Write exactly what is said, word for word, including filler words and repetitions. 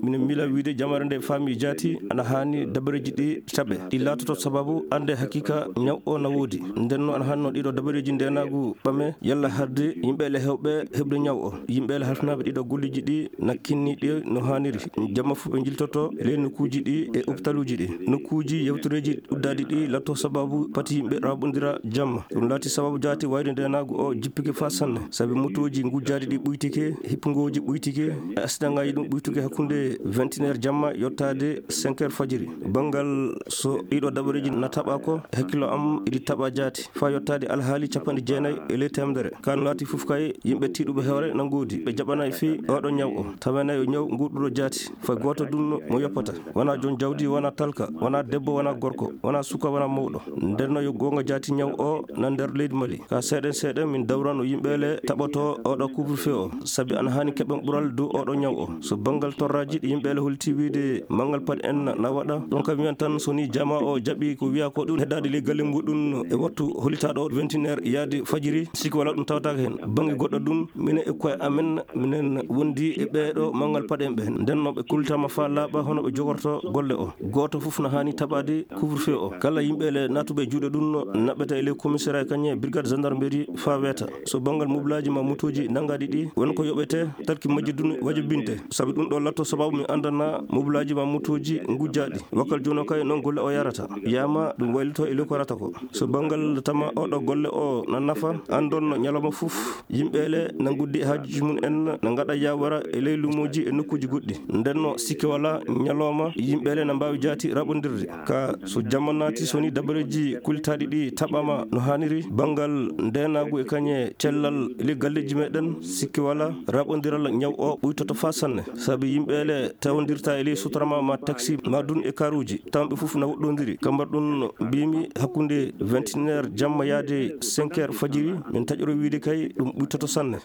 Minen miila wiide jamaare nde faami jaati ana haani dabareeji ɗi taɓe, ɗi laatoto sababu annde hakiika ñaw o na woodi. Nden noon ana haani noon ɗiɗo dabareeji ndeenaagu ɓame yalla harde yimɓe ele heewɓe heɓde ñaw o. Yimɓe ele halfinaaɓe ɗiɗo golleeji ɗi na kinni ɗi no haaniri. Jamma fof ɓe njiltoto ley nokkuuji ɗi e opitaluuji ɗi. Nokkuuji yewtoreeji uddaaɗi ɗi latto sababu pati yimɓe raɓondira jamma. Ɗum laati sababu jaati wayde ndeenaagu o jippike faa sanne. Sabi motooji ngujjaaɗi ɗi ɓuytike, hippungooji ɓuytike, e asidangaaji ɗum ɓuytuke hakkunde vingt et une heures jamma yottaade cinq heures fajiri. Banngal so ɗiɗo dabareeji na taɓa ko, hakkillo am iɗi taɓa jaati. Faa yottaade alhaali capanɗe jeenayi e ley teemedere. Kaa no laati fof kay, yimɓe tiiɗuɓe hoore na ngoodi. Ɓe jaɓanaay fii oɗo ñaw o. Tawanay o ñaw nguurɗuɗo jaati. Fay gooto ɗum mo yoppata. Wonaa joom jawdi, wonaa talka, wonaa debbo, wonaa gorko, wonaa suka, wonaa mawɗo. Nden no yo goonga jaati ñaw o na nder leydi Mali. Kaa seeɗen seeɗen min dawrano yimɓe ele taɓoto oɗo couvre-feu o. Sabi ana haani keɓen ɓural dow oɗo ñaw o. So banngal torraaji ɗi yimɓe ele holti wiide manngal paɗe en na waɗa. Ɗum kam wiyan tan so ni jamaa o jaɓi ko wiya ko ɗum heddaade ley galle muɗum e wattu holitaaɗo vingt et une heures yaade fajiri, sikke walaa ɗum tawtaaka heen. Bannge goɗɗo ɗum, minen e koye amen, minen wondi e ɓeeɗo manngal paɗe en ɓe. Nden no ɓe kultama faa laaɓa hono ɓe jogorto golle o. Gooto fof na haani taɓaade couvre-feu o. Kala yimɓe ele naatuɓe e juuɗe ɗum no naɓɓeta e ley commissariat kañe brigade gendarmerie faa weeta. So banngal mobelaaji maa motooji nanngaaɗi ɗi, won ko yoɓete, talki majji ɗum wajibinte. Sabi ɗum ɗo latto sababu mi anndana mobelaaji maa motooji ngujjaaɗi. Wakkal jooni o kay noon golle o yarata. Yaama ɗum waylito e ley ko warata ko. So banngal tama oɗo golle o na nafa, anndon no ñalawma fof yimɓe ele na nguddi e haajuuji mum en, na ngaɗa yaawara e ley luumooji e nokkuuji goɗɗi. Nden no sikke walaa ñalawma yimɓe ele na mbaawi jaati raɓondirde. Kaa so jamma naati, so ni dabareeji kultaaɗi ɗi taɓaama no haaniri, banngal ndeenaagu e kañe cellal e ley galleeji meɗen, sikke walaa raɓondiral ñaw o ɓuytoto faa sanne. Sabi yimɓe ele tawondirta e ley sutarama maa taxi maa ɗum e karuuji, tawa ɓe fof na woɗɗondiri. Kambar ɗum mbimi hakkunde vingt et une heures jamma yaade cinq heures fajiri, min taƴoro wiide kay ɗum ɓuytoto sanne.